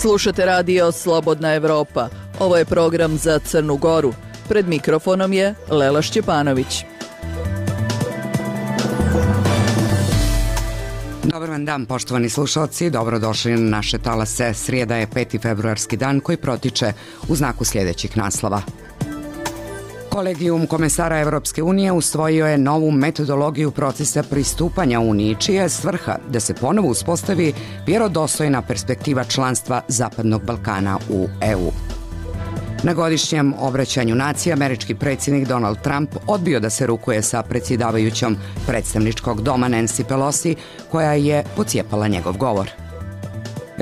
Slušate radio Slobodna Evropa. Ovo je program za Crnu Goru. Pred mikrofonom je Lela Šćepanović. Dobar vam dan, poštovani slušalci. Dobrodošli na naše talase. Srijeda je 5. februarski dan koji protiče u znaku sljedećih naslova. Kolegijum komesara Evropske unije usvojio je novu metodologiju procesa pristupanja Uniji, čija je svrha da se ponovo uspostavi vjerodostojna perspektiva članstva Zapadnog Balkana u EU. Na godišnjem obraćanju naciji američki predsjednik Donald Trump odbio da se rukuje sa predsjedavajućom predstavničkog doma Nancy Pelosi, koja je pocijepala njegov govor.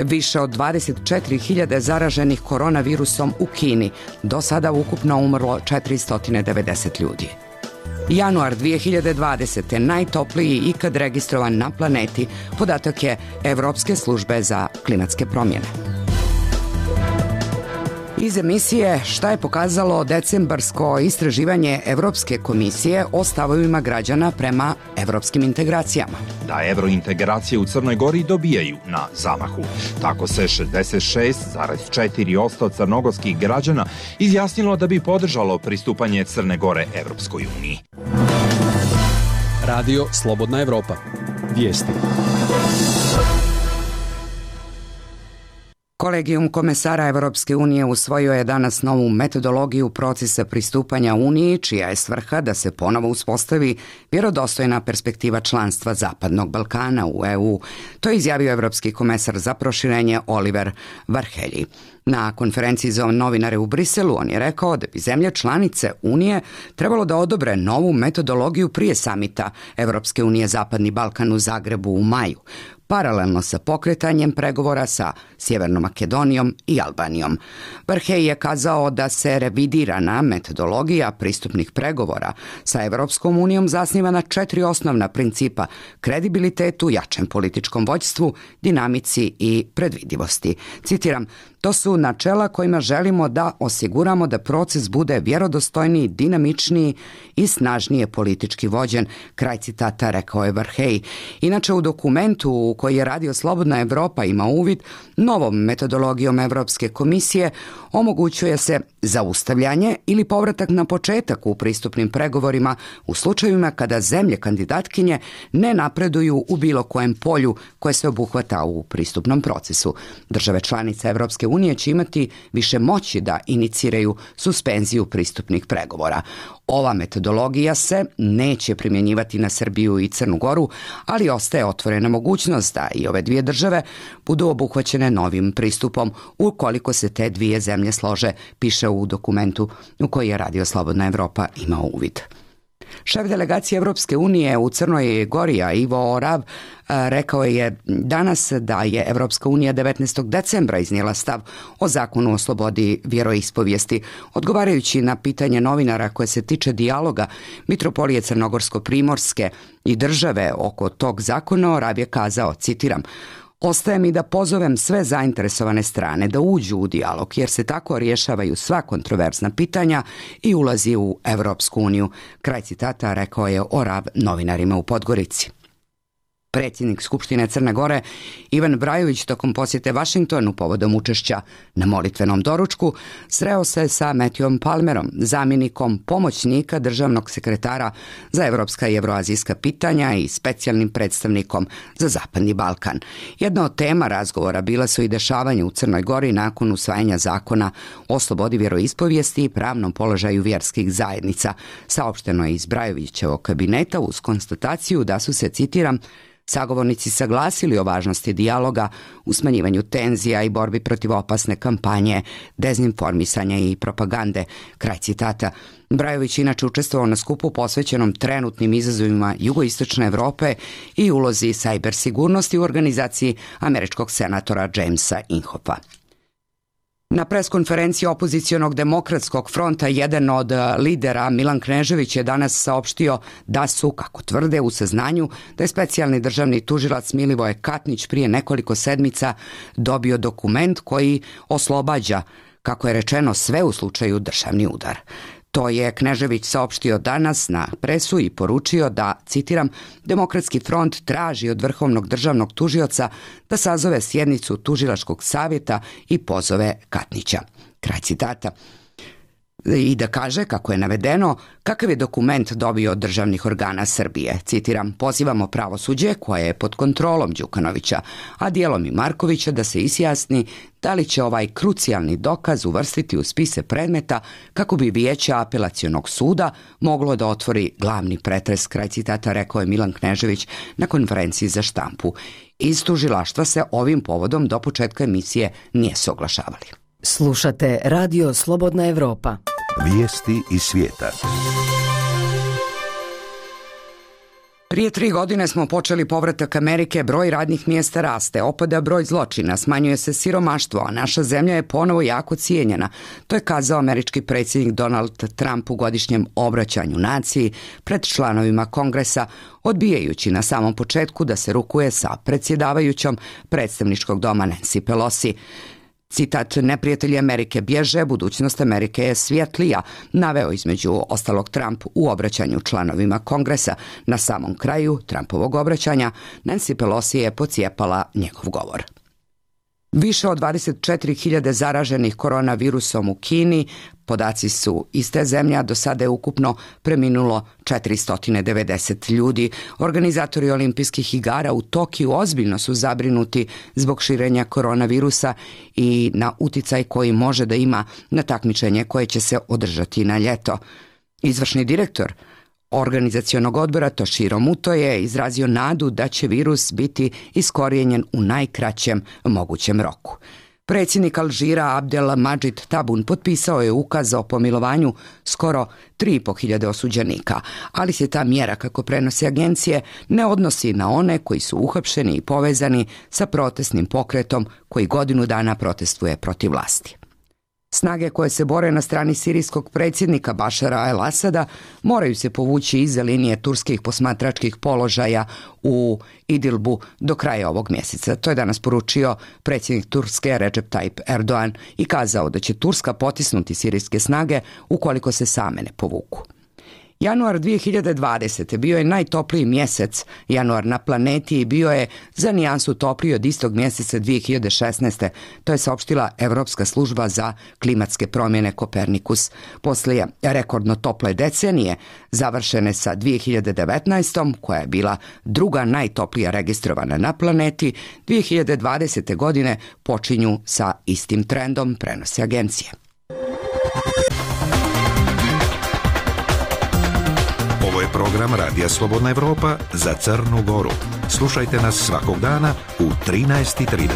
Više od 24.000 zaraženih koronavirusom u Kini, do sada ukupno umrlo 490 ljudi. Januar 2020. najtopliji ikad registrovan na planeti, podatak je Evropske službe za klimatske promjene. Iz emisije šta je pokazalo decembarsko istraživanje Evropske komisije o stavovima građana prema evropskim integracijama. Da evrointegracije u Crnoj Gori dobijaju na zamahu. Tako se 66,4% crnogorskih građana izjasnilo da bi podržalo pristupanje Crne Gore Evropskoj uniji. Radio Slobodna Evropa. Vijesti. Kolegijum komesara Evropske unije usvojio je danas novu metodologiju procesa pristupanja Uniji, čija je svrha da se ponovo uspostavi vjerodostojna perspektiva članstva Zapadnog Balkana u EU. To je izjavio evropski komesar za proširenje Oliver Varhelyi. Na konferenciji za novinare u Briselu on je rekao da bi zemlje članice Unije trebalo da odobre novu metodologiju prije samita Evropske unije Zapadni Balkan u Zagrebu u maju, paralelno sa pokretanjem pregovora sa Sjevernom Makedonijom i Albanijom. Varhelyi je kazao da se revidirana metodologija pristupnih pregovora sa Evropskom unijom zasniva na 4 osnovna principa: kredibilitetu, jačem političkom vođstvu, dinamici i predvidivosti. Citiram: to su načela kojima želimo da osiguramo da proces bude vjerodostojniji, dinamičniji i snažnije politički vođen. Kraj citata, rekao je Varhelyi. Inače, u dokumentu u koji je Radio Slobodna Evropa ima uvid, novom metodologijom Evropske komisije omogućuje se zaustavljanje ili povratak na početak u pristupnim pregovorima u slučajevima kada zemlje kandidatkinje ne napreduju u bilo kojem polju koje se obuhvata u pristupnom procesu. Države članice Evropske unije će imati više moći da iniciraju suspenziju pristupnih pregovora. Ova metodologija se neće primjenjivati na Srbiju i Crnu Goru, ali ostaje otvorena mogućnost da i ove dvije države budu obuhvaćene novim pristupom ukoliko se te dvije zemlje slože, piše u dokumentu u koji je Radio Slobodna Evropa imao uvid. Šef delegacije Evropske unije u Crnoj Gori, Ivo Orav, rekao je danas da je Evropska unija 19. decembra iznijela stav o zakonu o slobodi vjeroispovijesti. Odgovarajući na pitanje novinara koje se tiče dijaloga Mitropolije Crnogorsko-Primorske i države oko tog zakona, Orav je kazao, citiram: ostaje mi da pozovem sve zainteresovane strane da uđu u dijalog, jer se tako rješavaju sva kontroverzna pitanja i ulazi u Evropsku uniju. Kraj citata, rekao je Orav novinarima u Podgorici. Predsjednik Skupštine Crne Gore Ivan Brajović tokom posjete Vašingtonu povodom učešća na molitvenom doručku sreo se sa Matthewom Palmerom, zamjenikom pomoćnika državnog sekretara za evropska i evroazijska pitanja i specijalnim predstavnikom za Zapadni Balkan. Jedna od tema razgovora bila su i dešavanja u Crnoj Gori nakon usvajanja zakona o slobodi vjeroispovijesti i pravnom položaju vjerskih zajednica. Saopšteno je iz Brajovićevog kabineta uz konstataciju da su se, citiram, sagovornici saglasili o važnosti dijaloga u smanjivanju tenzija i borbi protiv opasne kampanje, dezinformisanja i propagande. Kraj citata. Brajović inače učestvovao na skupu posvećenom trenutnim izazovima jugoistočne Evrope i ulozi sajber sigurnosti u organizaciji američkog senatora Jamesa Inhoffa. Na preskonferenciji opozicionog demokratskog fronta jedan od lidera, Milan Knežević, je danas saopštio da su, kako tvrde, u saznanju da je specijalni državni tužilac Milivoje Katnić prije nekoliko sedmica dobio dokument koji oslobađa, kako je rečeno, sve u slučaju državni udar. To je Knežević saopštio danas na presu i poručio da, citiram, Demokratski front traži od Vrhovnog državnog tužioca da sazove sjednicu Tužilačkog savjeta i pozove Katnića. Kraj citata. I da kaže, kako je navedeno, kakav je dokument dobio od državnih organa Srbije. Citiram, pozivamo pravosuđe koje je pod kontrolom Đukanovića, a dijelom i Markovića da se izjasni da li će ovaj krucijalni dokaz uvrstiti u spise predmeta kako bi Vijeće apelacionog suda moglo da otvori glavni pretres, kraj citata, rekao je Milan Knežević na konferenciji za štampu. Iz tužilaštva se ovim povodom do početka emisije nije se oglašavali. Slušate Radio Slobodna Evropa. Vijesti iz svijeta. Prije 3 godine smo počeli povratak Amerike, broj radnih mjesta raste, opada broj zločina, smanjuje se siromaštvo, a naša zemlja je ponovo jako cijenjena. To je kazao američki predsjednik Donald Trump u godišnjem obraćanju naciji pred članovima Kongresa, odbijajući na samom početku da se rukuje sa predsjedavajućom predstavničkog doma Nancy Pelosi. Citat, neprijatelji Amerike bježe, budućnost Amerike je svjetlija, naveo između ostalog Trump u obraćanju članovima Kongresa. Na samom kraju Trumpovog obraćanja Nancy Pelosi je pocijepala njegov govor. Više od 24.000 zaraženih koronavirusom u Kini, podaci su iz te zemlje, a do sada je ukupno preminulo 490 ljudi. Organizatori olimpijskih igara u Tokiju ozbiljno su zabrinuti zbog širenja koronavirusa i na uticaj koji može da ima na takmičenje koje će se održati na ljeto. Izvršni direktor organizacionog odbora Toshiro Muto je izrazio nadu da će virus biti iskorijenjen u najkraćem mogućem roku. Predsjednik Alžira Abdel Madžid Tabun potpisao je ukaz o pomilovanju skoro 3.500 osuđenika, ali se ta mjera, kako prenose agencije, ne odnosi na one koji su uhapšeni i povezani sa protestnim pokretom koji godinu dana protestuje protiv vlasti. Snage koje se bore na strani sirijskog predsjednika Bašara al-Asada moraju se povući iza linije turskih posmatračkih položaja u Idilbu do kraja ovog mjeseca. To je danas poručio predsjednik Turske Recep Tayyip Erdogan i kazao da će Turska potisnuti sirijske snage ukoliko se same ne povuku. Januar 2020. bio je najtopliji mjesec januar na planeti i bio je za nijansu topliji od istog mjeseca 2016. To je saopštila Evropska služba za klimatske promjene Kopernikus. Poslije rekordno tople decenije, završene sa 2019. koja je bila druga najtoplija registrovana na planeti, 2020. godine počinju sa istim trendom, prenose agencije. Ovo je program Radija Slobodna Evropa za Crnu Goru. Slušajte nas svakog dana u 13:30.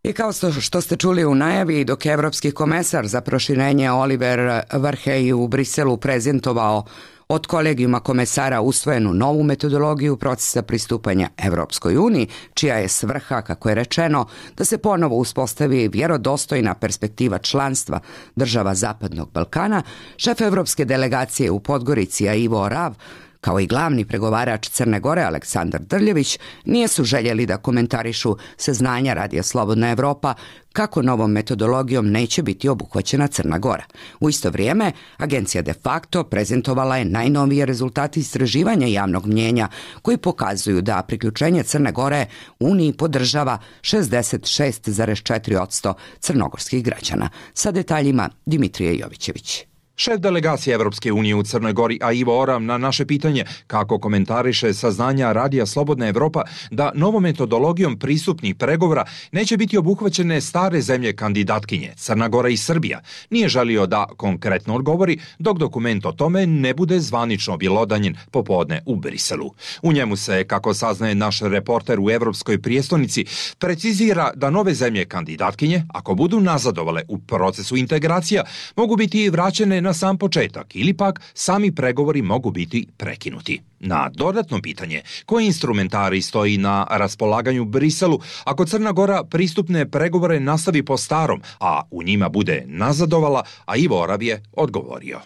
I kao što ste čuli u najavi, dok je Evropski komesar za proširenje Oliver Varhelyi u Briselu prezentovao od kolegijuma komesara usvojenu novu metodologiju procesa pristupanja Evropskoj uniji, čija je svrha, kako je rečeno, da se ponovo uspostavi vjerodostojna perspektiva članstva država Zapadnog Balkana, šef Evropske delegacije u Podgorici Ivo Orav, kao i glavni pregovarač Crne Gore Aleksandar Drljević, nisu željeli da komentarišu saznanja Radija Slobodna Evropa kako novom metodologijom neće biti obuhvaćena Crna Gora. U isto vrijeme, agencija De Facto prezentovala je najnovije rezultate istraživanja javnog mnjenja koji pokazuju da priključenje Crne Gore Uniji podržava 66,4% crnogorskih građana. Sa detaljima Dimitrije Jovićević. Šef delegacije Evropske unije u Crnoj Gori, Ivo Orav, na naše pitanje kako komentariše saznanja Radija Slobodna Evropa da novom metodologijom pristupnih pregovora neće biti obuhvaćene stare zemlje kandidatkinje, Crna Gora i Srbija, nije želio da konkretno odgovori dok dokument o tome ne bude zvanično objelodanjen popodne u Briselu. U njemu se, kako saznaje naš reporter u Evropskoj prijestolnici, precizira da nove zemlje kandidatkinje, ako budu nazadovale u procesu integracija, mogu biti vraćene na sam početak ili pak sami pregovori mogu biti prekinuti. Na dodatno pitanje, koji instrumentari stoji na raspolaganju Briselu ako Crna Gora pristupne pregovore nastavi po starom, a u njima bude nazadovala, a Ivo Orav je odgovorio.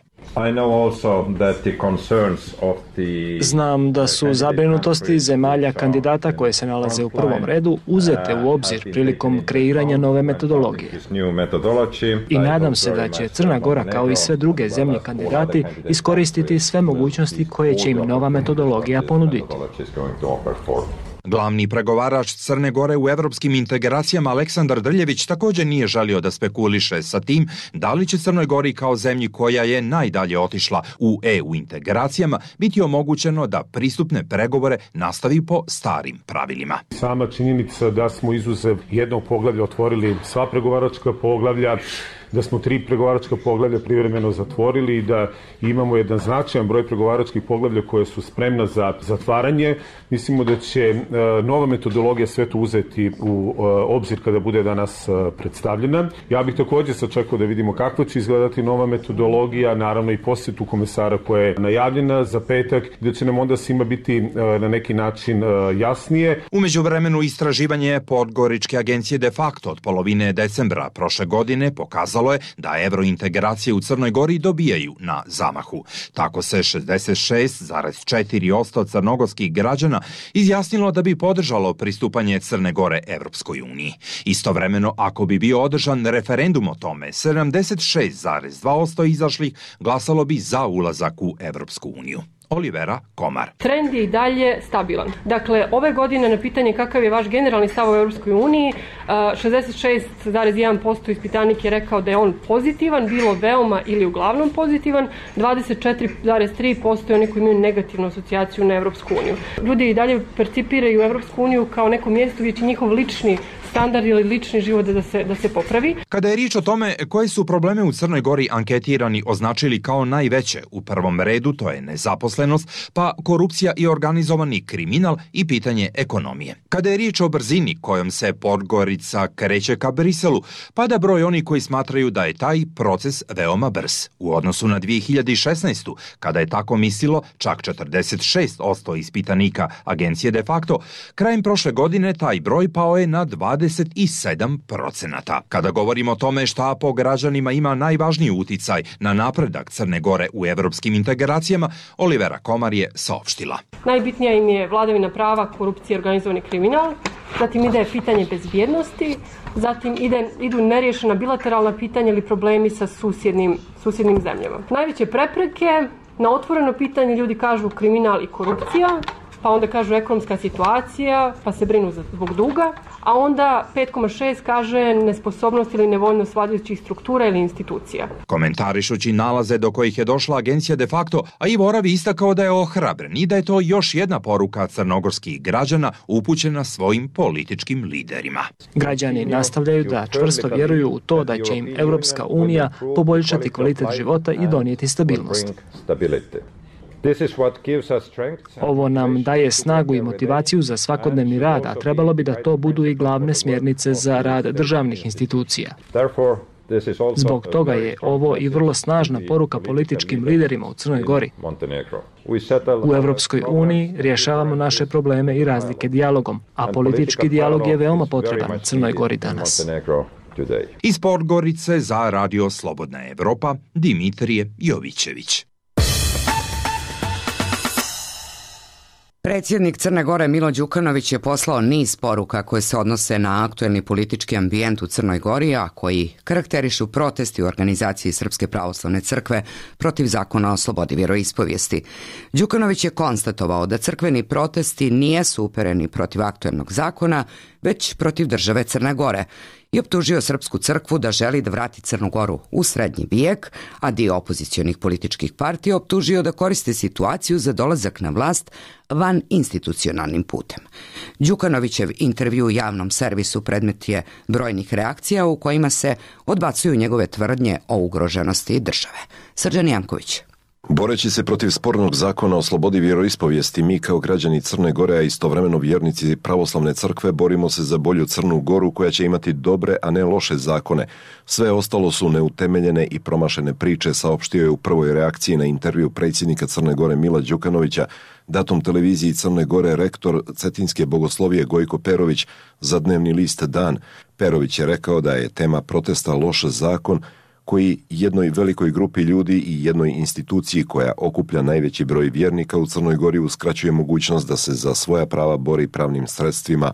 Znam da su zabrinutosti zemalja kandidata koje se nalaze u prvom redu uzete u obzir prilikom kreiranja nove metodologije. I nadam se da će Crna Gora, kao i sve druge zemlje kandidati, iskoristiti sve mogućnosti koje će im nova metodologija ponuditi. Glavni pregovarač Crne Gore u evropskim integracijama Aleksandar Drljević također nije želio da spekuliše sa tim da li će Crnoj Gori kao zemlji koja je najdalje otišla u EU integracijama biti omogućeno da pristupne pregovore nastavi po starim pravilima. Sama činjenica da smo izuzev jednog poglavlja otvorili sva pregovaračka poglavlja, da smo 3 pregovaračka poglavlja privremeno zatvorili i da imamo jedan značajan broj pregovaračkih poglavlja koje su spremna za zatvaranje. Mislimo da će nova metodologija sve to uzeti u obzir kada bude danas predstavljena. Ja bih također sačekao da vidimo kako će izgledati nova metodologija, naravno i posjetu komesara koja je najavljena za petak, da će nam onda svima biti na neki način jasnije. U međuvremenu istraživanje Podgoričke agencije de facto od polovine decembra prošle godine pokazalo je da evrointegracije u Crnoj Gori dobijaju na zamahu. Tako se 66,4% crnogorskih građana izjasnilo da bi podržalo pristupanje Crne Gore Evropskoj uniji. Istovremeno, ako bi bio održan referendum o tome, 76,2% izašlih glasalo bi za ulazak u Evropsku uniju. Olivera Komar. Trend je i dalje stabilan. Dakle, ove godine na pitanje kakav je vaš generalni stav u Europskoj uniji, 66,1% ispitanik je rekao da je on pozitivan, bilo veoma ili uglavnom pozitivan, 24,3% je oni koji imaju negativnu asocijaciju na Europsku uniju. Ljudi i dalje percipiraju Europsku uniju kao neko mjesto gdje će njihov lični standard ili lični život da se popravi. Kada je riječ o tome koje su probleme u Crnoj Gori anketirani označili kao najveće, u prvom redu to je nezaposlenost, pa korupcija i organizovani kriminal i pitanje ekonomije. Kada je riječ o brzini kojom se Podgorica kreće ka Briselu, pada broj oni koji smatraju da je taj proces veoma brz. U odnosu na 2016. kada je tako mislilo čak 46% ispitanika agencije de facto, krajem prošle godine taj broj pao je na 27%. Kada govorimo o tome šta po građanima ima najvažniji uticaj na napredak Crne Gore u evropskim integracijama, Olivera Komar je saopštila. Najbitnija im je vladavina prava, korupcija i organizovani kriminal, zatim ide pitanje bezbjednosti, zatim idu neriješena bilateralna pitanja ili problemi sa susjednim zemljama. Najveće prepreke na otvoreno pitanje ljudi kažu kriminal i korupcija, pa onda kažu ekonomska situacija, pa se brinu zbog duga, a onda 5,6 kaže nesposobnost ili nevoljnost vladajućih struktura ili institucija. Komentarišući nalaze do kojih je došla agencija de facto, a Ivo Oravi istakao da je ohrabren i da je to još jedna poruka crnogorskih građana upućena svojim političkim liderima. Građani nastavljaju da čvrsto vjeruju u to da će im Europska unija poboljšati kvalitet života i donijeti stabilnost. Ovo nam daje snagu i motivaciju za svakodnevni rad, a trebalo bi da to budu i glavne smjernice za rad državnih institucija. Zbog toga je ovo i vrlo snažna poruka političkim liderima u Crnoj Gori. U Evropskoj uniji rješavamo naše probleme i razlike dijalogom, a politički dijalog je veoma potreban Crnoj Gori danas. Iz Podgorice za Radio Slobodna Evropa, Dimitrije Jovićević. Predsjednik Crne Gore Milo Đukanović je poslao niz poruka koje se odnose na aktuelni politički ambijent u Crnoj Gori, a koji karakterišu protesti u organizaciji Srpske pravoslavne crkve protiv zakona o slobodi vjeroispovijesti. Đukanović je konstatovao da crkveni protesti nijesu upereni protiv aktuelnog zakona, već protiv države Crne Gore i optužio Srpsku crkvu da želi da vrati Crnu Goru u srednji vijek, a dio opozicionih političkih partija optužio da koriste situaciju za dolazak na vlast van institucionalnim putem. Đukanovićev intervju u javnom servisu predmet je brojnih reakcija u kojima se odbacuju njegove tvrdnje o ugroženosti države. Srđan Janković. Boreći se protiv spornog zakona o slobodi vjeroispovijesti, mi kao građani Crne Gore, a istovremeno vjernici pravoslavne crkve, borimo se za bolju Crnu Goru koja će imati dobre, a ne loše zakone. Sve ostalo su neutemeljene i promašene priče, saopštio je u prvoj reakciji na intervju predsjednika Crne Gore Mila Đukanovića datom televiziji Crne Gore rektor Cetinske bogoslovije Gojko Perović za dnevni list Dan. Perović je rekao da je tema protesta loš zakon koji jednoj velikoj grupi ljudi i jednoj instituciji koja okuplja najveći broj vjernika u Crnoj Gori uskraćuje mogućnost da se za svoja prava bori pravnim sredstvima.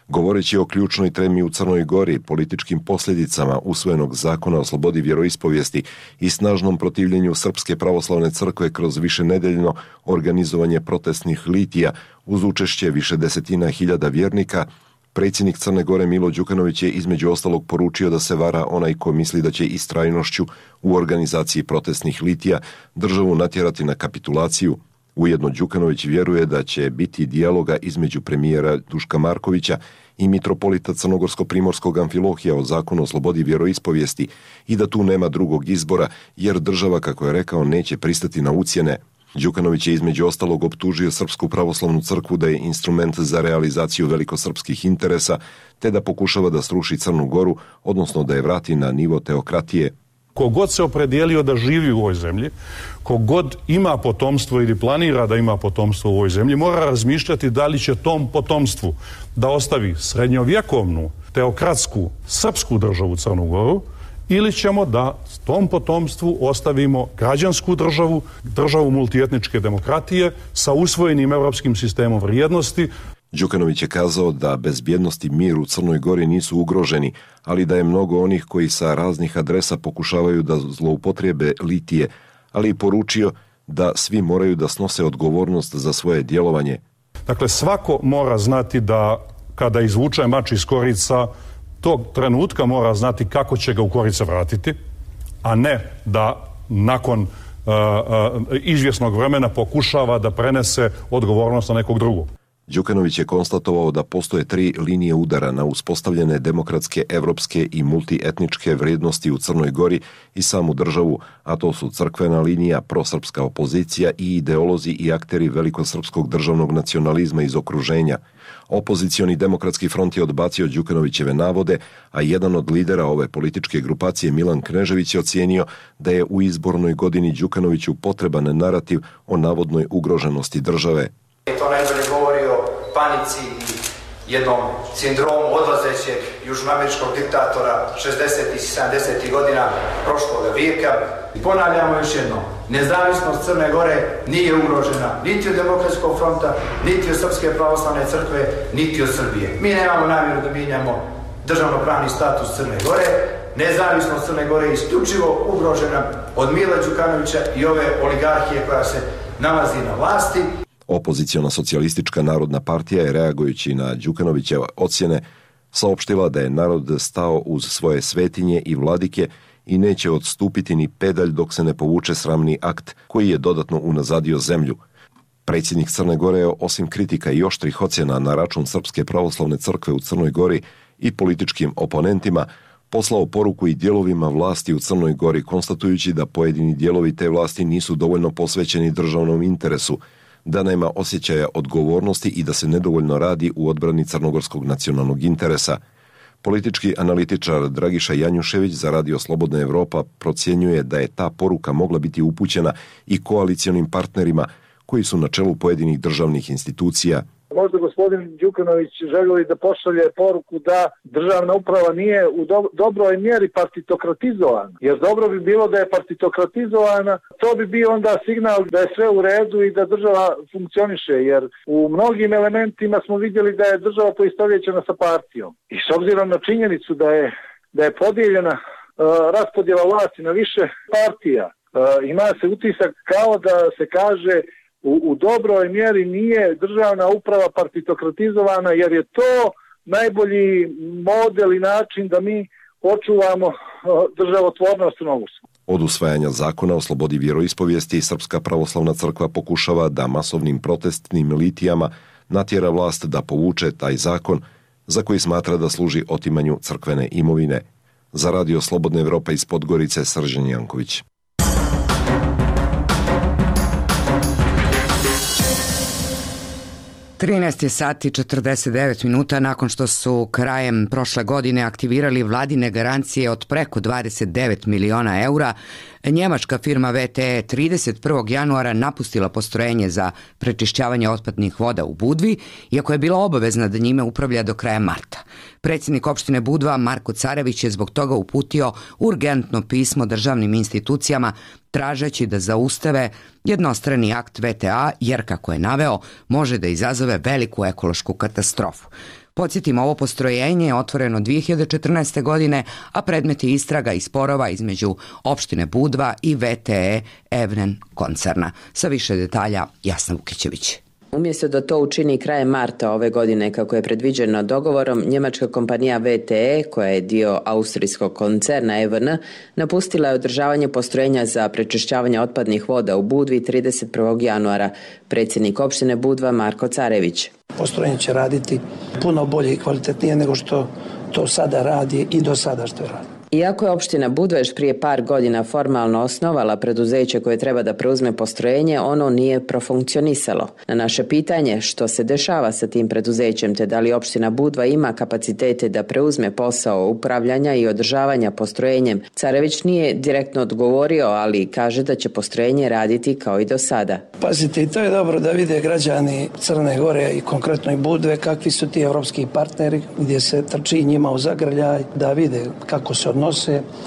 Govoreći o ključnoj temi u Crnoj Gori, političkim posljedicama usvojenog zakona o slobodi vjeroispovijesti i snažnom protivljenju Srpske pravoslavne crkve kroz višenedeljno organizovanje protestnih litija uz učešće više desetina hiljada vjernika, predsjednik Crne Gore Milo Đukanović je između ostalog poručio da se vara onaj ko misli da će istrajnošću u organizaciji protestnih litija državu natjerati na kapitulaciju. Ujedno Đukanović vjeruje da će biti dijaloga između premijera Duška Markovića i mitropolita Crnogorsko-primorskog Amfilohija o zakonu o slobodi vjeroispovijesti i da tu nema drugog izbora jer država, kako je rekao, neće pristati na ucjene. Đukanović je između ostalog optužio Srpsku pravoslavnu crkvu da je instrument za realizaciju velikosrpskih interesa te da pokušava da sruši Crnu Goru, odnosno da je vrati na nivo teokratije. Kogod se opredijelio da živi u ovoj zemlji, kogod ima potomstvo ili planira da ima potomstvo u ovoj zemlji, mora razmišljati da li će tom potomstvu da ostavi srednjovjekovnu, teokratsku, srpsku državu Crnu Goru ili ćemo da tom potomstvu ostavimo građansku državu, državu multietničke demokratije sa usvojenim evropskim sistemom vrijednosti. Đukanović je kazao da bezbjednost i mir u Crnoj Gori nisu ugroženi, ali da je mnogo onih koji sa raznih adresa pokušavaju da zloupotrijebe litije, ali i poručio da svi moraju da snose odgovornost za svoje djelovanje. Dakle, svako mora znati da kada izvuče mač iz korica, tog trenutka mora znati kako će ga u korice vratiti, a ne da nakon izvjesnog vremena pokušava da prenese odgovornost na nekog drugog. Đukanović je konstatovao da postoje 3 linije udara na uspostavljene demokratske, evropske i multietničke vrijednosti u Crnoj Gori i samu državu, a to su crkvena linija, prosrpska opozicija i ideolozi i akteri velikosrpskog državnog nacionalizma iz okruženja. Opozicioni demokratski front je odbacio Đukanovićeve navode, a jedan od lidera ove političke grupacije, Milan Knežević, je ocijenio da je u izbornoj godini Đukanoviću potreban narativ o navodnoj ugroženosti države. To najbolje govori o panici i jednom sindromu odlazećeg južnoameričkog diktatora 60. i 70. godina prošlog vijeka. Ponavljamo još jednom, nezavisnost Crne Gore nije ugrožena niti od Demokratskog fronta, niti od Srpske pravoslavne crkve, niti od Srbije. Mi nemamo namjeru da mijenjamo državnopravni status Crne Gore. Nezavisnost Crne Gore je isključivo ugrožena od Mila Đukanovića i ove oligarhije koja se nalazi na vlasti. Opoziciona socijalistička narodna partija je, reagujući na Đukanovićeve ocjene, saopštila da je narod stao uz svoje svetinje i vladike i neće odstupiti ni pedalj dok se ne povuče sramni akt koji je dodatno unazadio zemlju. Predsjednik Crne Gore je, osim kritika i oštrih ocjena na račun Srpske pravoslavne crkve u Crnoj Gori i političkim oponentima, poslao poruku i dijelovima vlasti u Crnoj Gori, konstatujući da pojedini dijelovi te vlasti nisu dovoljno posvećeni državnom interesu, da nema osjećaja odgovornosti i da se nedovoljno radi u odbrani crnogorskog nacionalnog interesa. Politički analitičar Dragiša Janjušević za Radio Slobodna Evropa procjenjuje da je ta poruka mogla biti upućena i koalicionim partnerima koji su na čelu pojedinih državnih institucija. Možda gospodin Đukanović želi da pošalje poruku da državna uprava nije u dobroj mjeri partitokratizovana. Jer dobro bi bilo da je partitokratizovana, to bi bio onda signal da je sve u redu i da država funkcioniše. Jer u mnogim elementima smo vidjeli da je država poistovjećena sa partijom. I s obzirom na činjenicu da je podijeljena raspodjela vlasti na više partija, ima se utisak kao da se kaže u dobroj mjeri nije državna uprava partitokratizovana, jer je to najbolji model i način da mi očuvamo državotvornost u Novosu. Od usvajanja zakona o slobodi vjeroispovijesti Srpska pravoslavna crkva pokušava da masovnim protestnim litijama natjera vlast da povuče taj zakon za koji smatra da služi otimanju crkvene imovine. Za Radio Slobodna Evropa iz Podgorice, Srđan Janković. 13 sati 49 minuta nakon što su krajem prošle godine aktivirali vladine garancije od preko 29 miliona eura, Njemačka firma VTE 31. januara napustila postrojenje za prečišćavanje otpadnih voda u Budvi, iako je bila obavezna da njime upravlja do kraja marta. Predsjednik opštine Budva Marko Carević je zbog toga uputio urgentno pismo državnim institucijama tražeći da zaustave jednostrani akt VTA, jer, kako je naveo, može da izazove veliku ekološku katastrofu. Podsjetimo, ovo postrojenje je otvoreno 2014. godine, a predmet je istraga i sporova između opštine Budva i VTE Evnen koncerna. Sa više detalja Jasna Vukićević. Umjesto da to učini krajem marta ove godine kako je predviđeno dogovorom, njemačka kompanija VTE, koja je dio austrijskog koncerna EVN, napustila je održavanje postrojenja za prečišćavanje otpadnih voda u Budvi 31. januara. Predsjednik opštine Budva Marko Carević. Postrojenje će raditi puno bolje i kvalitetnije nego što to sada radi i do sada što je radi. Iako je opština Budva još prije par godina formalno osnovala preduzeće koje treba da preuzme postrojenje, ono nije profunkcionisalo. Na naše pitanje što se dešava sa tim preduzećem te da li opština Budva ima kapacitete da preuzme posao upravljanja i održavanja postrojenjem, Carević nije direktno odgovorio, ali kaže da će postrojenje raditi kao i do sada. Pazite, i to je dobro da vide građani Crne Gore i konkretno i Budve kakvi su ti evropski partneri, gdje se trči njima u zagrljaj, da vide kako se odnose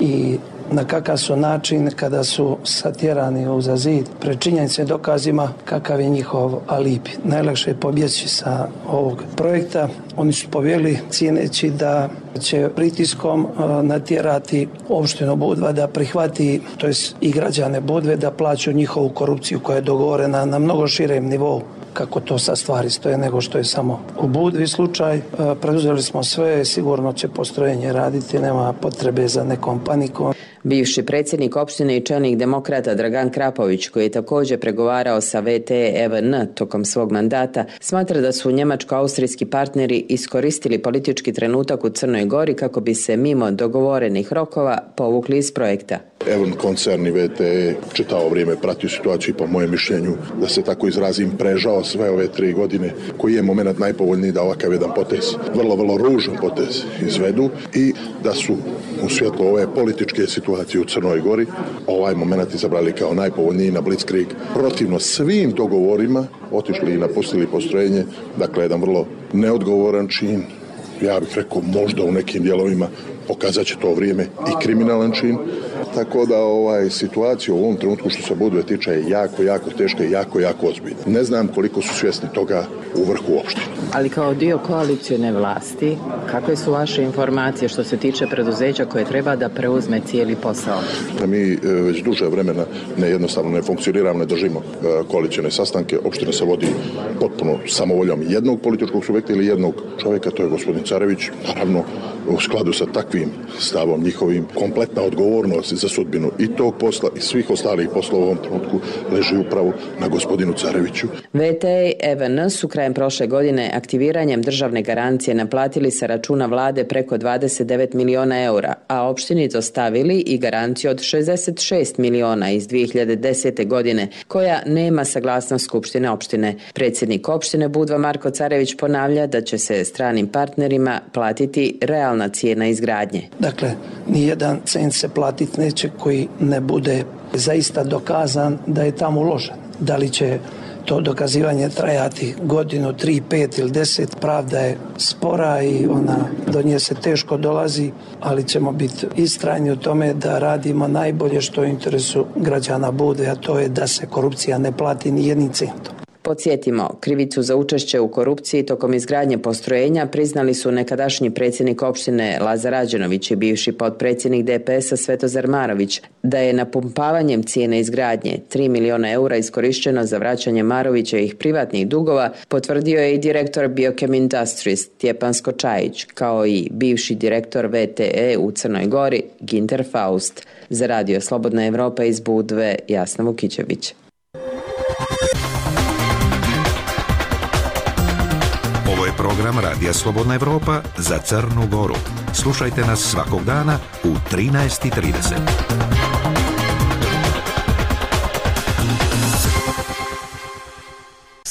i na kakav su način kada su satjerani uza zid pred činjenicama i dokazima kakav je njihov alibi. Najlakše je pobjeći sa ovog projekta. Oni su pobjegli cijeneći da će pritiskom natjerati opštinu Budva da prihvati, to jest i građane Budve, da plaću njihovu korupciju koja je dogovorena na mnogo širem nivou kako to sa stvari stoje nego što je samo u Budvi slučaj. Preduzeli smo sve, sigurno će postrojenje raditi, nema potrebe za nekom panikom. Bivši predsjednik opštine i čelnik demokrata Dragan Krapović, koji je također pregovarao sa VTE EVN tokom svog mandata, smatra da su njemačko-austrijski partneri iskoristili politički trenutak u Crnoj Gori kako bi se mimo dogovorenih rokova povukli iz projekta. EVN koncern i VTE čitavo vrijeme pratio situaciju, po mojem mišljenju, da se tako izrazim, prežao sve ove 3 godine, koji je moment najpovoljniji da ovakav jedan potez, vrlo ružan potez izvedu i da su u svjetlu ove političke situacije u Crnoj Gori ovaj moment izabrali kao najpovoljniji na Blitzkrieg, protivno svim dogovorima otišli i napustili postrojenje. Dakle, jedan vrlo neodgovoran čin, ja bih rekao možda u nekim dijelovima pokazat će to vrijeme i kriminalan čin. Tako da situacija u ovom trenutku što se Budve tiče je jako teška i jako ozbiljna. Ne znam koliko su svjesni toga u vrhu opštine. Ali kao dio koalicijne vlasti, kakve su vaše informacije što se tiče preduzeća koje treba da preuzme cijeli posao? Mi već duže vremena jednostavno ne funkcioniramo, ne držimo koalicijne sastanke. Opština se vodi potpuno samovoljom jednog političkog subjekta ili jednog čovjeka, to je gospodin Carević. Naravno, u skladu sa takvim stavom njihovim, kompletna odgovornost za sudbinu i tog posla i svih ostalih poslova u ovom trenutku leži upravo na gospodinu Careviću. VTE EVN su krajem prošle godine aktiviranjem državne garancije naplatili sa računa vlade preko 29 miliona eura, a opštini dostavili i garanciju od 66 miliona iz 2010. godine, koja nema saglasnost Skupštine opštine. Predsjednik opštine Budva Marko Carević ponavlja da će se stranim partnerima platiti realna cijena izgradnje. Dakle, nijedan cent se platiti neće koji ne bude zaista dokazan da je tamo uložen. Da li će to dokazivanje trajati godinu, 3, 5 ili 10, pravda je spora i do nje se teško dolazi, ali ćemo biti istrajni u tome da radimo najbolje što je u interesu građana Budve, a to je da se korupcija ne plati ni jednim centom. Podsjetimo, krivicu za učešće u korupciji tokom izgradnje postrojenja priznali su nekadašnji predsjednik opštine Lazar Rađenović i bivši potpredsjednik DPS-a Svetozar Marović, da je napumpavanjem cijene izgradnje 3 miliona eura iskorišteno za vraćanje Marovićevih privatnih dugova, potvrdio je i direktor Biochem Industries Stjepan Skočajić, kao i bivši direktor VTE u Crnoj Gori Ginter Faust. Za Radio Slobodna Evropa iz Budve, Jasna Vukićević. Ovo je program Radija Slobodna Evropa za Crnu Goru. Slušajte nas svakog dana u 13:30.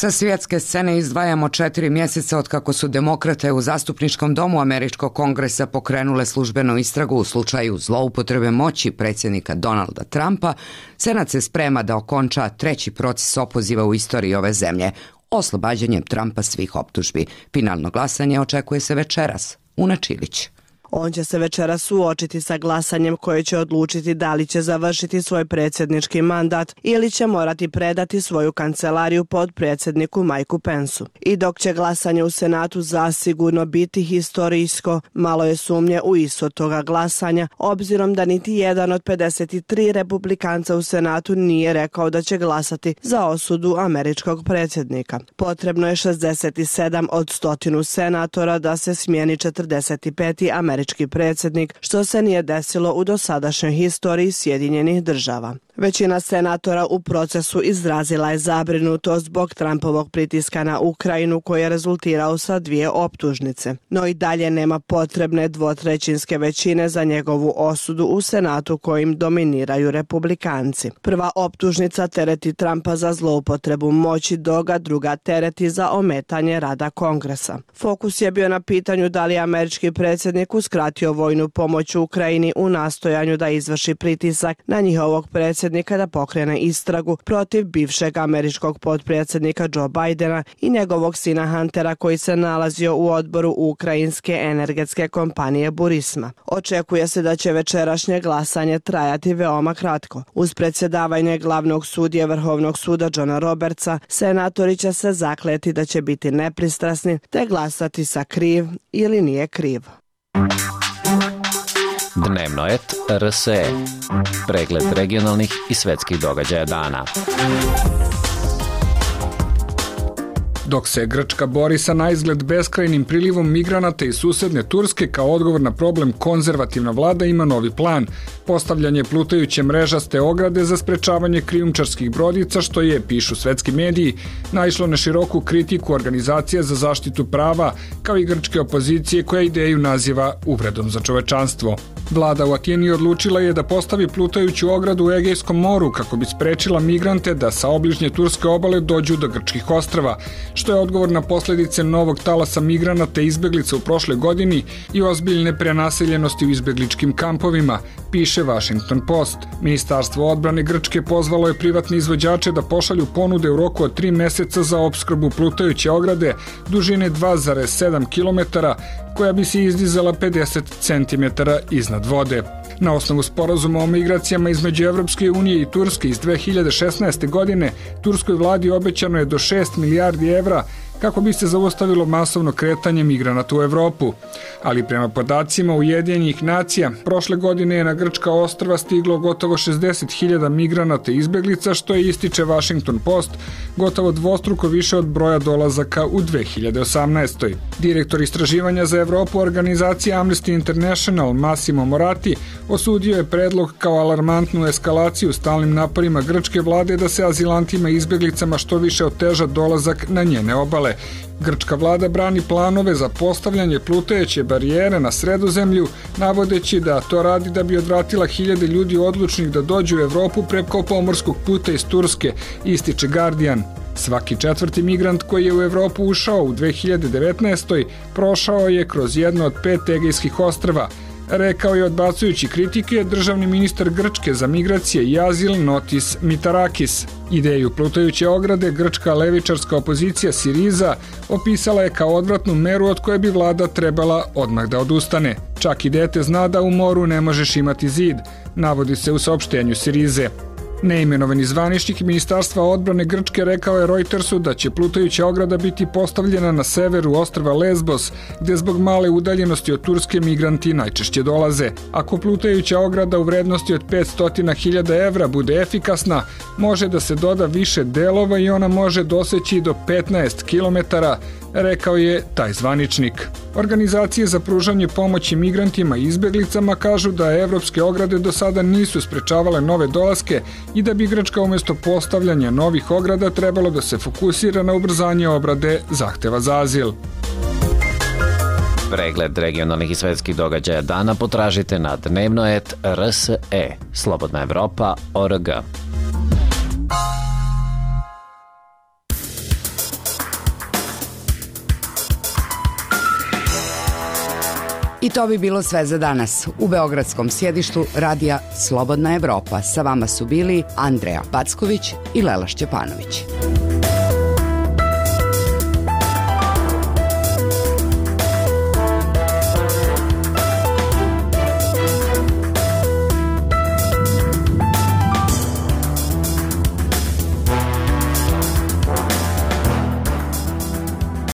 Sa svjetske scene izdvajamo 4 mjeseca od kako su demokrate u zastupničkom domu Američkog kongresa pokrenule službenu istragu u slučaju zloupotrebe moći predsjednika Donalda Trumpa. Senat se sprema da okonča 3. proces opoziva u istoriji ove zemlje, oslobađanjem Trumpa svih optužbi. Finalno glasanje očekuje se večeras. Una Čilić. On će se večeras suočiti sa glasanjem koje će odlučiti da li će završiti svoj predsjednički mandat ili će morati predati svoju kancelariju podpredsjedniku Mikeu Pensu. I dok će glasanje u Senatu zasigurno biti historijsko, malo je sumnje u ishod toga glasanja, obzirom da niti jedan od 53 republikanca u Senatu nije rekao da će glasati za osudu američkog predsjednika. Potrebno je 67 od 100 senatora da se smijeni 45. američki predsjednik, što se nije desilo u dosadašnjoj historiji Sjedinjenih Država. Većina senatora u procesu izrazila je zabrinutost zbog Trumpovog pritiska na Ukrajinu koji je rezultirao sa 2 optužnice. No i dalje nema potrebne 2/3 većine za njegovu osudu u Senatu kojim dominiraju republikanci. Prva optužnica tereti Trumpa za zloupotrebu moći, dok ga druga tereti za ometanje rada Kongresa. Fokus je bio na pitanju da li je američki predsjednik uskratio vojnu pomoć Ukrajini u nastojanju da izvrši pritisak na njihovog predsjednika da pokrene istragu protiv bivšeg američkog potpredsjednika Joe Bidena i njegovog sina Huntera koji se nalazio u odboru ukrajinske energetske kompanije Burisma. Očekuje se da će večerašnje glasanje trajati veoma kratko. Uz predsjedavanje glavnog sudije Vrhovnog suda Johna Robertsa, senatori će se zakleti da će biti nepristrasni te glasati sa kriv ili nije kriv. Dnevnoet RSE. Pregled regionalnih i svetskih događaja dana. Dok se Grčka bori sa naizgled beskrajnim prilivom migranata iz susedne Turske, kao odgovor na problem konzervativna vlada ima novi plan. Postavljanje plutajuće mrežaste ograde za sprečavanje krijumčarskih brodica, što je, pišu svetski mediji, naišlo na široku kritiku organizacija za zaštitu prava, kao i grčke opozicije koja ideju naziva uvredom za čovečanstvo. Vlada u Atini odlučila je da postavi plutajuću ogradu u Egejskom moru kako bi sprečila migrante da sa obližnje turske obale dođu do grčkih ostrava, što je odgovor na posljedice novog talasa migranata i izbeglica u prošle godini i ozbiljne prenaseljenosti u izbegličkim kampovima, piše Washington Post. Ministarstvo odbrane Grčke pozvalo je privatne izvođače da pošalju ponude u roku od 3 meseca za opskrbu plutajuće ograde dužine 2,7 km, koja bi se izdizala 50 cm iznad vode. Na osnovu sporazuma o migracijama između Evropske unije i Turske iz 2016. godine, turskoj vladi obećano je do 6 milijardi evra kako bi se zaustavilo masovno kretanje migranata u Evropu. Ali prema podacima Ujedinjenih nacija, prošle godine je na grčka ostrva stiglo gotovo 60.000 migranata i izbeglica, što je, ističe Washington Post, gotovo dvostruko više od broja dolazaka u 2018. Direktor istraživanja za Evropu organizacije Amnesty International Massimo Moratti osudio je predlog kao alarmantnu eskalaciju stalnim naporima grčke vlade da se azilantima i izbeglicama što više oteža dolazak na njene obale. Grčka vlada brani planove za postavljanje plutajuće barijere na Sredozemlju, navodeći da to radi da bi odvratila hiljade ljudi odlučnih da dođu u Evropu preko pomorskog puta iz Turske, ističe Guardian. Svaki 4. migrant koji je u Evropu ušao u 2019. prošao je kroz jedno od 5 Egejskih ostrva, rekao je odbacujući kritike državni ministar Grčke za migracije i azil Notis Mitarakis. Ideju plutajuće ograde grčka levičarska opozicija Siriza opisala je kao odvratnu meru od koje bi vlada trebala odmah da odustane. Čak i dete zna da u moru ne možeš imati zid, navodi se u saopštenju Sirize. Neimenovani zvaničnik Ministarstva odbrane Grčke rekao je Reutersu da će plutajuća ograda biti postavljena na severu ostrva Lesbos, gde zbog male udaljenosti od Turske migranti najčešće dolaze. Ako plutajuća ograda u vrednosti od 500.000 evra bude efikasna, može da se doda više delova i ona može doseći do 15 kilometara, rekao je taj zvaničnik. Organizacije za pružanje pomoći migrantima i izbeglicama kažu da evropske ograde do sada nisu sprečavale nove dolaske i da bi Grčka umjesto postavljanja novih ograda trebalo da se fokusira na ubrzanje obrade zahteva za azil. Pregled regionalnih i svetskih događaja dana potražite na Dnevnoet RSE, Slobodna Evropa.org. I to bi bilo sve za danas. U beogradskom sjedištu radija Slobodna Evropa sa vama su bili Andreja Packović i Lela Šćepanović.